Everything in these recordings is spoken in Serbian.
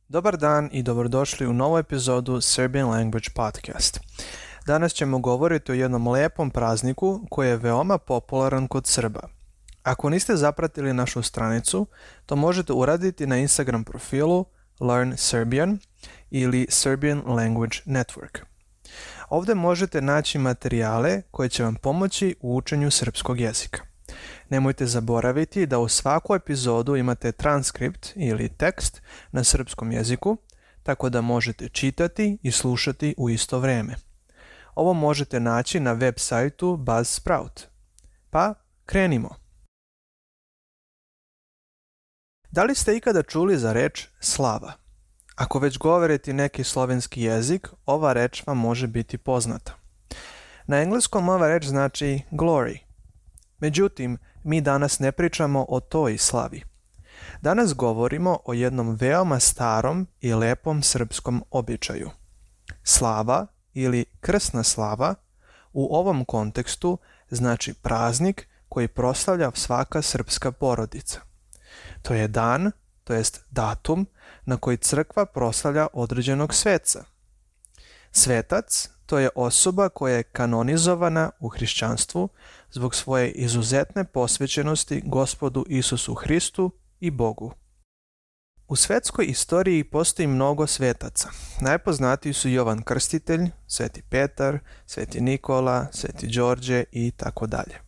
Dobar dan i dobrodošli u novu epizodu Serbian Language Podcast. Danas ćemo govoriti o jednom lijepom prazniku koji je veoma popularan kod Srba. Ako niste zapratili našu stranicu, to možete uraditi na Instagram profilu Learn Serbian ili Serbian Language Network. Ovdje možete naći materijale koje će vam pomoći u učenju srpskog jezika. Nemojte zaboraviti da u svaku epizodu imate transkript ili tekst na srpskom jeziku, tako da možete čitati i slušati u isto vrijeme. Ovo možete naći na web sajtu Buzzsprout. Pa, krenimo! Da li ste ikada čuli za reč slava? Ako već govorite neki slovenski jezik, ova reč vam može biti poznata. Na engleskom ova reč znači glory. Međutim, mi danas ne pričamo o toj slavi. Danas govorimo o jednom veoma starom i lepom srpskom običaju. Slava ili krsna slava u ovom kontekstu znači praznik koji proslavlja svaka srpska porodica. To je dan, to jest datum, na koji crkva proslavlja određenog sveca. Svetac to je osoba koja je kanonizovana u hrišćanstvu zbog svoje izuzetne posvećenosti Gospodu Isusu Hristu i Bogu. U svetskoj istoriji postoji mnogo svetaca. Najpoznatiji su Jovan Krstitelj, Sveti Petar, Sveti Nikola, Sveti Đorđe i tako dalje.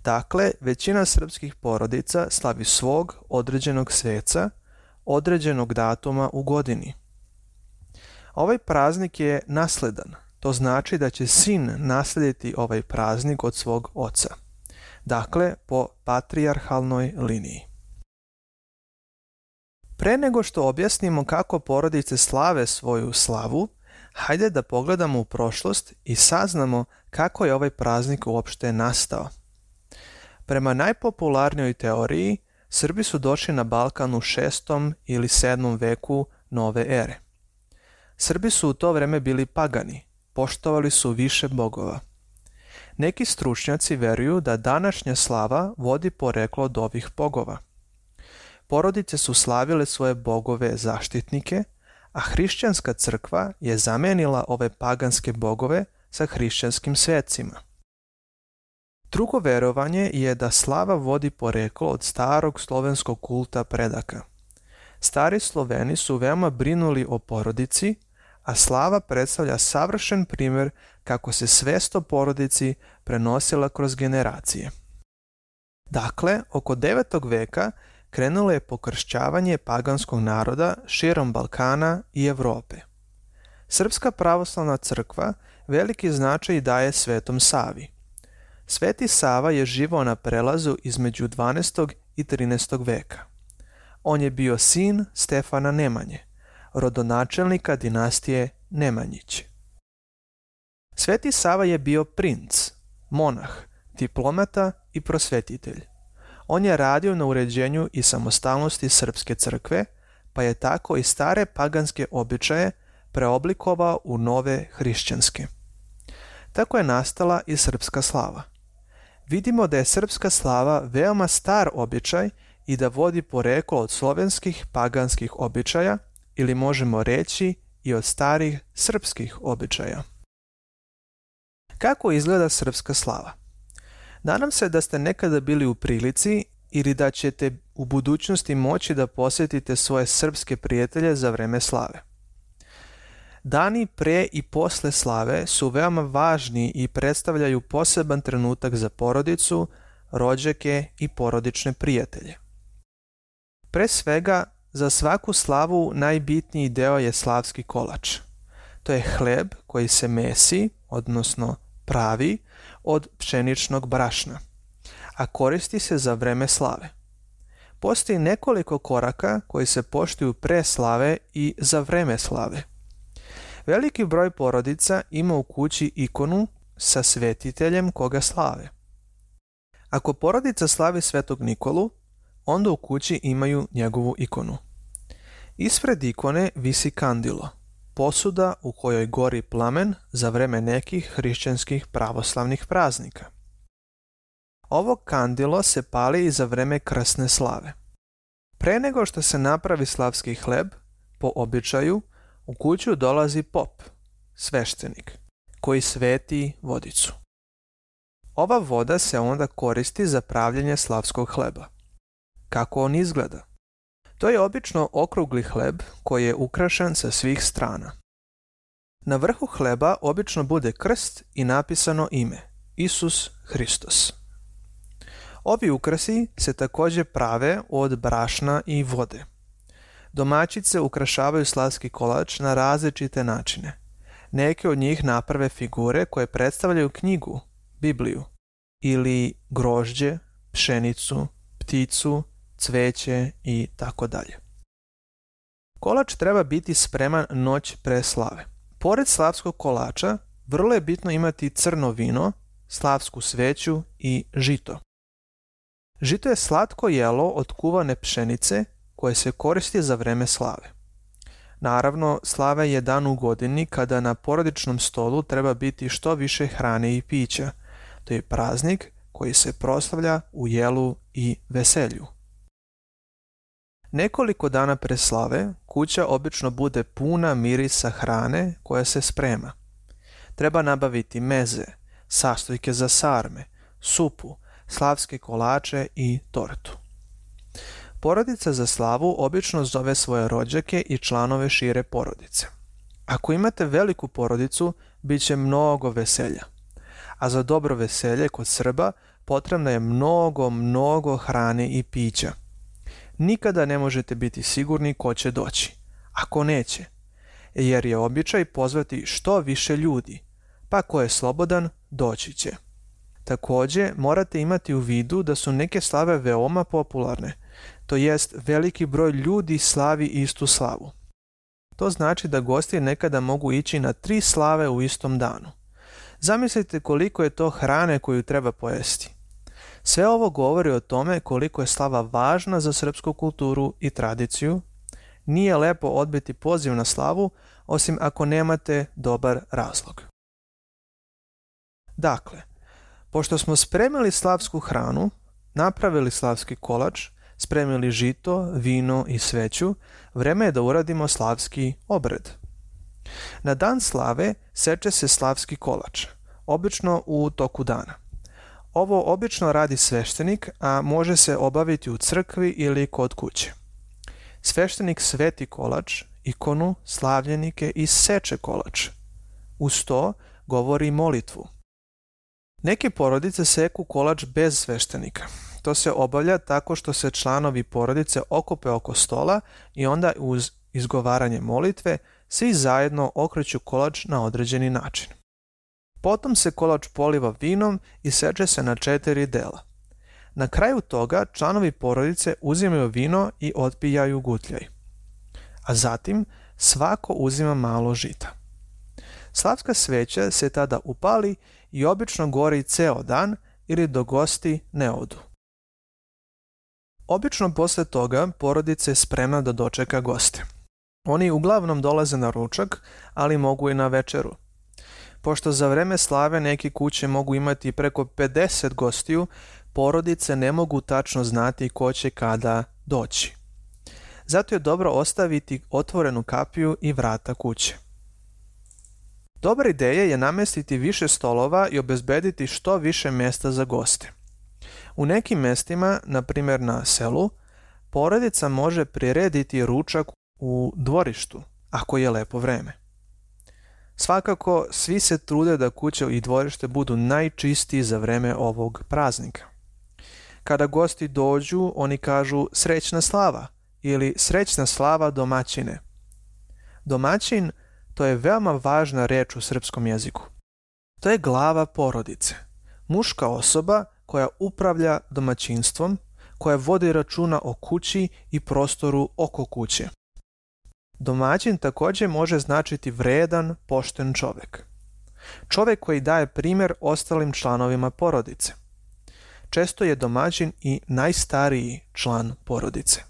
Dakle, većina srpskih porodica slavi svog određenog sveca, određenog datuma u godini. Ovaj praznik je nasledan. To znači da će sin naslijediti ovaj praznik od svog oca. Dakle, po patrijarhalnoj liniji. Pre nego što objasnimo kako porodice slave svoju slavu, hajde da pogledamo u prošlost i saznamo kako je ovaj praznik uopšte nastao. Prema najpopularnijoj teoriji, Srbi su došli na Balkan u 6. ili 7. veku nove ere. Srbi su u to vreme bili pagani, poštovali su više bogova. Neki stručnjaci veruju da današnja slava vodi poreklo od ovih bogova. Porodice su slavile svoje bogove zaštitnike, a hrišćanska crkva je zamenila ove paganske bogove sa hrišćanskim svecima. Drugo verovanje je da slava vodi poreklo od starog slovenskog kulta predaka. Stari Sloveni su veoma brinuli o porodici, a slava predstavlja savršen primjer kako se svest o porodici prenosila kroz generacije. Dakle, oko 9. veka krenulo je pokršćavanje paganskog naroda širom Balkana i Europe. Srpska pravoslavna crkva veliki značaj daje Svetom Savi. Sveti Sava je živao na prelazu između 12. i 13. veka. On je bio sin Stefana Nemanje, rodonačelnika dinastije Nemanjić. Sveti Sava je bio princ, monah, diplomata i prosvetitelj. On je radio na uređenju i samostalnosti srpske crkve, pa je tako i stare paganske običaje preoblikovao u nove hrišćanske. Tako je nastala i srpska slava. Vidimo da je srpska slava veoma star običaj i da vodi poreklo od slovenskih paganskih običaja, ili možemo reći i od starih srpskih običaja. Kako izgleda srpska slava? Nadam se da ste nekada bili u prilici ili da ćete u budućnosti moći da posjetite svoje srpske prijatelje za vreme slave. Dani pre i posle slave su veoma važni i predstavljaju poseban trenutak za porodicu, rođake i porodične prijatelje. Pre svega, za svaku slavu najbitniji deo je slavski kolač. To je hleb koji se mesi, odnosno pravi, od pšeničnog brašna, a koristi se za vreme slave. Postoji nekoliko koraka koji se poštuju pre slave i za vreme slave. Veliki broj porodica ima u kući ikonu sa svetiteljem koga slave. Ako porodica slavi Svetog Nikolu, onda u kući imaju njegovu ikonu. Ispred ikone visi kandilo, posuda u kojoj gori plamen za vreme nekih hrišćanskih pravoslavnih praznika. Ovo kandilo se pali i za vreme krsne slave. Pre nego što se napravi slavski hleb, Po običaju, u kuću dolazi pop, sveštenik, koji sveti vodicu. Ova voda se onda koristi za pravljenje slavskog hleba. Kako on izgleda? To je obično okrugli hleb koji je ukrašen sa svih strana. Na vrhu hleba obično bude krst i napisano ime Isus Hristos. Ovi ukrasi se također prave od brašna i vode. Domaćice ukrašavaju slavski kolač na različite načine. Neke od njih naprave figure koje predstavljaju knjigu, Bibliju, ili grožđe, pšenicu, pticu, cveće i tako dalje. Kolač treba biti spreman noć pre slave. Pored slavskog kolača, vrlo je bitno imati crno vino, slavsku sveću i žito. Žito je slatko jelo od kuvane pšenice koje se koristi za vreme slave. Naravno, slava je dan u godini kada na porodičnom stolu treba biti što više hrane i pića. To je praznik koji se proslavlja u jelu i veselju. Nekoliko dana pre slave kuća obično bude puna mirisa hrane koja se sprema. Treba nabaviti meze, sastojke za sarme, supu, slavske kolače i tortu. Porodica za slavu obično zove svoje rođake i članove šire porodice. Ako imate veliku porodicu, bit će mnogo veselja. A za dobro veselje kod Srba potrebno je mnogo hrane i pića. Nikada ne možete biti sigurni ko će doći, ako neće, jer je običaj pozvati što više ljudi, pa ko je slobodan, doći će. Također, morate imati u vidu da su neke slave veoma popularne, to jest veliki broj ljudi slavi istu slavu. To znači da gosti nekada mogu ići na 3 slave u istom danu. Zamislite koliko je to hrane koju treba pojesti. Sve ovo govori o tome koliko je slava važna za srpsku kulturu i tradiciju. Nije lepo odbiti poziv na slavu, osim ako nemate dobar razlog. Dakle, pošto smo spremili slavsku hranu, napravili slavski kolač, spremili žito, vino i sveću, vreme je da uradimo slavski obred. Na dan slave seče se slavski kolač, obično u toku dana. Ovo obično radi sveštenik, a može se obaviti u crkvi ili kod kuće. Sveštenik sveti kolač, ikonu, slavljenike i seče kolač. Uz to govori molitvu. Neke porodice seku kolač bez sveštenika. To se obavlja tako što se članovi porodice okupe oko stola i onda uz izgovaranje molitve svi zajedno okreću kolač na određeni način. Potom se kolač poliva vinom i seče se na 4 dela. Na kraju toga članovi porodice uzimaju vino i otpijaju gutljaj. A zatim svako uzima malo žita. Slavska sveća se tada upali i obično gori ceo dan ili do gosti ne odu. Obično posle toga porodica je spremna da dočeka goste. Oni uglavnom dolaze na ručak, ali mogu i na večeru. Pošto za vreme slave neke kuće mogu imati preko 50 gostiju, porodice ne mogu tačno znati ko će kada doći. Zato je dobro ostaviti otvorenu kapiju i vrata kuće. Dobra ideja je namestiti više stolova i obezbediti što više mjesta za goste. U nekim mjestima, na primjer na selu, porodica može prirediti ručak u dvorištu, ako je lepo vreme. Svakako, svi se trude da kuće i dvorište budu najčistiji za vreme ovog praznika. Kada gosti dođu, oni kažu srećna slava ili srećna slava domaćine. Domaćin, to je veoma važna reč u srpskom jeziku. To je glava porodice, muška osoba koja upravlja domaćinstvom, koja vodi računa o kući i prostoru oko kuće. Domaćin također može značiti vredan, pošten čovjek. Čovjek koji daje primjer ostalim članovima porodice. Često je domaćin i najstariji član porodice.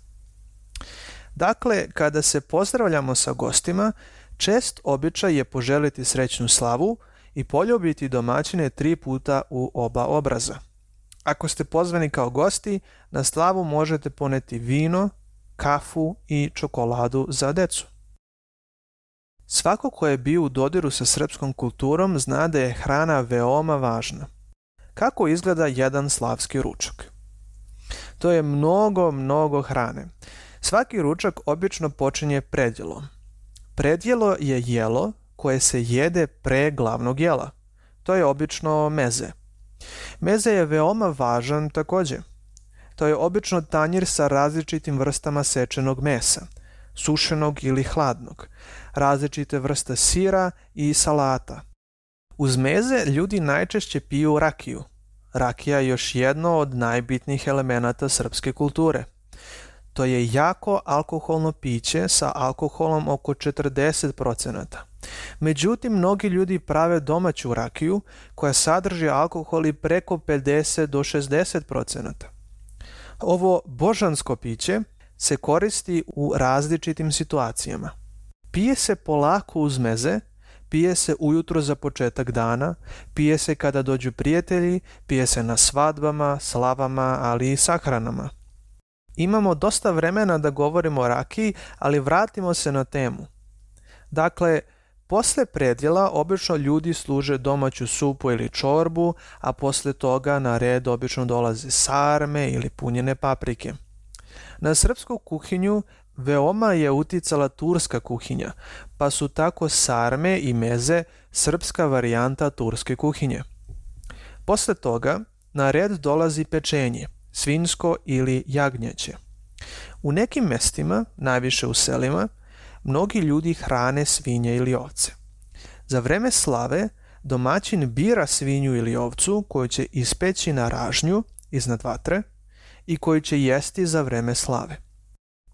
Dakle, kada se pozdravljamo sa gostima, čest običaj je poželiti srećnu slavu i poljubiti domaćine 3 puta u oba obraza. Ako ste pozvani kao gosti, na slavu možete poneti vino, kafu i čokoladu za decu. Svako ko je bio u dodiru sa srpskom kulturom zna da je hrana veoma važna. Kako izgleda jedan slavski ručak? To je mnogo hrane. Svaki ručak obično počinje predjelom. Predjelo je jelo koje se jede pre glavnog jela. To je obično meze. Meze je veoma važan također. To je obično tanjir sa različitim vrstama sečenog mesa, sušenog ili hladnog, različite vrste sira i salata. Uz meze ljudi najčešće piju rakiju. Rakija je još jedno od najbitnijih elemenata srpske kulture. To je jako alkoholno piće sa alkoholom oko 40%. Međutim, mnogi ljudi prave domaću rakiju koja sadrži alkohol i preko 50 do 60%. Ovo božansko piće se koristi u različitim situacijama. Pije se polako uz meze, pije se ujutro za početak dana, pije se kada dođu prijatelji, pije se na svadbama, slavama, ali i sahranama. Imamo dosta vremena da govorimo o rakiji, ali vratimo se na temu. Dakle, posle predjela obično ljudi služe domaću supu ili čorbu, a posle toga na red obično dolaze sarme ili punjene paprike. Na srpsku kuhinju veoma je uticala turska kuhinja, pa su tako sarme i meze srpska varijanta turske kuhinje. Posle toga na red dolazi pečenje, svinjsko ili jagnjeće. U nekim mestima, najviše u selima, mnogi ljudi hrane svinje ili ovce. Za vreme slave domaćin bira svinju ili ovcu koju će ispeći na ražnju iznad vatre i koju će jesti za vreme slave.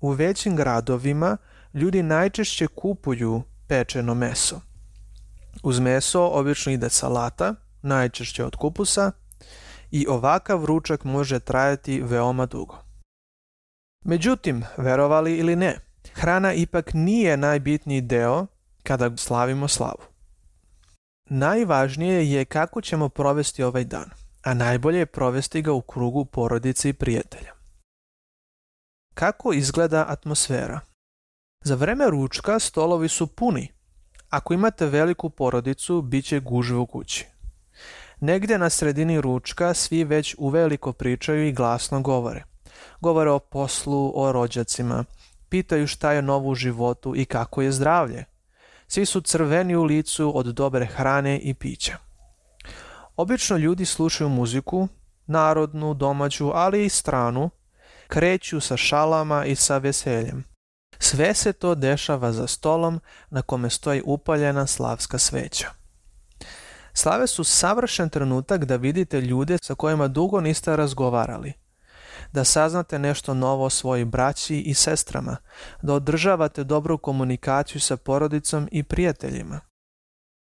U većim gradovima ljudi najčešće kupuju pečeno meso. Uz meso obično ide salata, najčešće od kupusa, i ovakav ručak može trajati veoma dugo. Međutim, verovali ili ne, hrana ipak nije najbitniji deo kada slavimo slavu. Najvažnije je kako ćemo provesti ovaj dan, a najbolje je provesti ga u krugu porodice i prijatelja. Kako izgleda atmosfera? Za vreme ručka stolovi su puni. Ako imate veliku porodicu, bit će gužve u kući. Negdje na sredini ručka svi već uveliko pričaju i glasno govore. Govore o poslu, o rođacima, pitaju šta je novo u životu i kako je zdravlje. Svi su crveni u licu od dobre hrane i pića. Obično ljudi slušaju muziku, narodnu, domaću, ali i stranu, kreću sa šalama i sa veseljem. Sve se to dešava za stolom na kome stoji upaljena slavska sveća. Slave su savršen trenutak da vidite ljude sa kojima dugo niste razgovarali, da saznate nešto novo o svojoj braći i sestrama, da održavate dobru komunikaciju sa porodicom i prijateljima.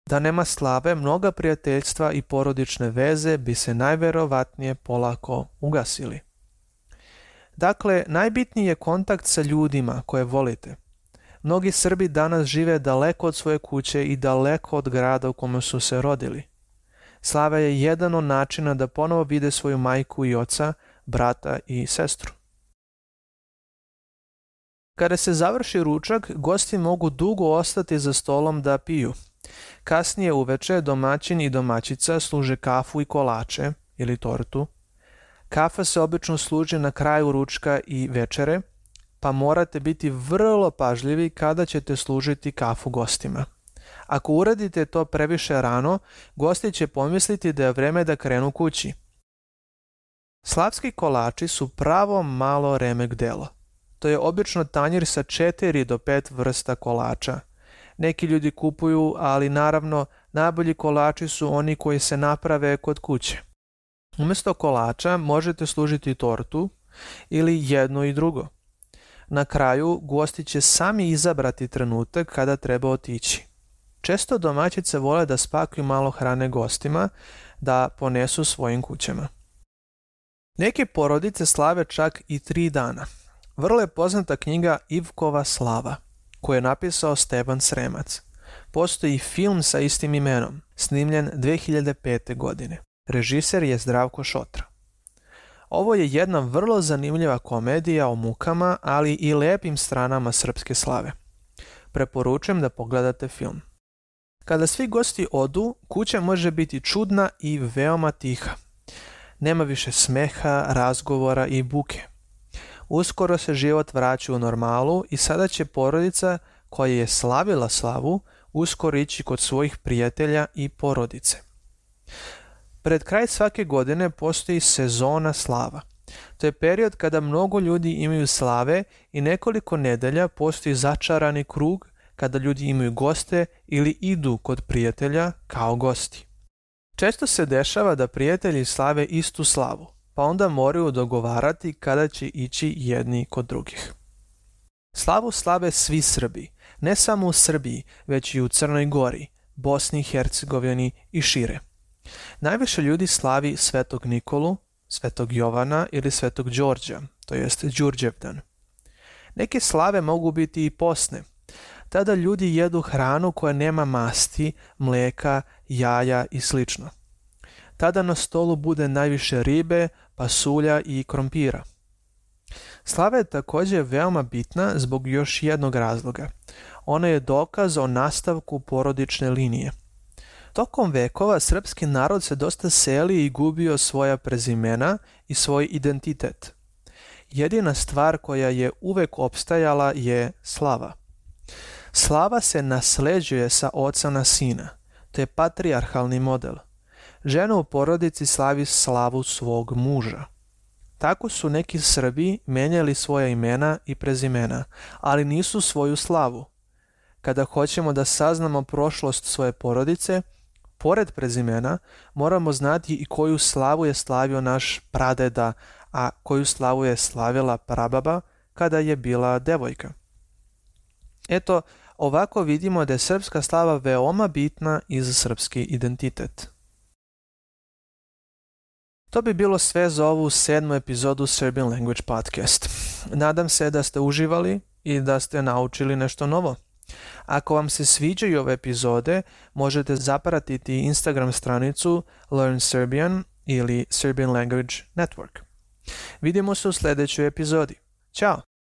Da nema slave, mnoga prijateljstva i porodične veze bi se najverovatnije polako ugasili. Dakle, najbitniji je kontakt sa ljudima koje volite. Mnogi Srbi danas žive daleko od svoje kuće i daleko od grada u kome su se rodili. Slava je jedan od načina da ponovo vide svoju majku i oca, brata i sestru. Kada se završi ručak, gosti mogu dugo ostati za stolom da piju. Kasnije uveče domaćin i domaćica služe kafu i kolače ili tortu. Kafa se obično služi na kraju ručka i večere, pa morate biti vrlo pažljivi kada ćete služiti kafu gostima. Ako uradite to previše rano, gosti će pomisliti da je vreme da krenu kući. Slavski kolači su pravo malo remek delo. To je obično tanjir sa 4 do 5 vrsta kolača. Neki ljudi kupuju, ali naravno najbolji kolači su oni koji se naprave kod kuće. Umjesto kolača možete služiti tortu ili jedno i drugo. Na kraju gosti će sami izabrati trenutak kada treba otići. Često domaćice vole da spakuju malo hrane gostima da ponesu svojim kućama. Neke porodice slave čak i 3 dana. Vrlo je poznata knjiga Ivkova slava, koju je napisao Stevan Sremac. Postoji film sa istim imenom, snimljen 2005. godine. Režiser je Zdravko Šotra. Ovo je jedna vrlo zanimljiva komedija o mukama, ali i lepim stranama srpske slave. Preporučujem da pogledate film. Kada svi gosti odu, kuća može biti čudna i veoma tiha. Nema više smeha, razgovora i buke. Uskoro se život vraća u normalu i sada će porodica koja je slavila slavu uskoro ići kod svojih prijatelja i porodice. Pred kraj svake godine postoji sezona slava. To je period kada mnogo ljudi imaju slave i nekoliko nedelja postoji začarani krug kada ljudi imaju goste ili idu kod prijatelja kao gosti. Često se dešava da prijatelji slave istu slavu, pa onda moraju dogovarati kada će ići jedni kod drugih. Slavu slave svi Srbi, ne samo u Srbiji, već i u Crnoj Gori, Bosni i Hercegovini i šire. Najviše ljudi slavi Svetog Nikolu, Svetog Jovana ili Svetog Đorđa, to jest Đurđevdan. Neke slave mogu biti i posne. Tada ljudi jedu hranu koja nema masti, mlijeka, jaja i sl. Tada na stolu bude najviše ribe, pasulja i krompira. Slava je također veoma bitna zbog još jednog razloga. Ona je dokaz o nastavku porodične linije. Tokom vekova srpski narod se dosta seli i gubio svoja prezimena i svoj identitet. Jedina stvar koja je uvek opstajala je slava. Slava se nasleđuje sa oca na sina. To je patrijarhalni model. Žena u porodici slavi slavu svog muža. Tako su neki Srbi menjali svoja imena i prezimena, ali nisu svoju slavu. Kada hoćemo da saznamo prošlost svoje porodice, pored prezimena moramo znati i koju slavu je slavio naš pradeda, a koju slavu je slavila prababa kada je bila devojka. Eto, ovako vidimo da je srpska slava veoma bitna i za srpski identitet. To bi bilo sve za ovu 7. epizodu Serbian Language Podcast. Nadam se da ste uživali i da ste naučili nešto novo. Ako vam se sviđaju ove epizode, možete zapratiti Instagram stranicu Learn Serbian ili Serbian Language Network. Vidimo se u sljedećoj epizodi. Ćao!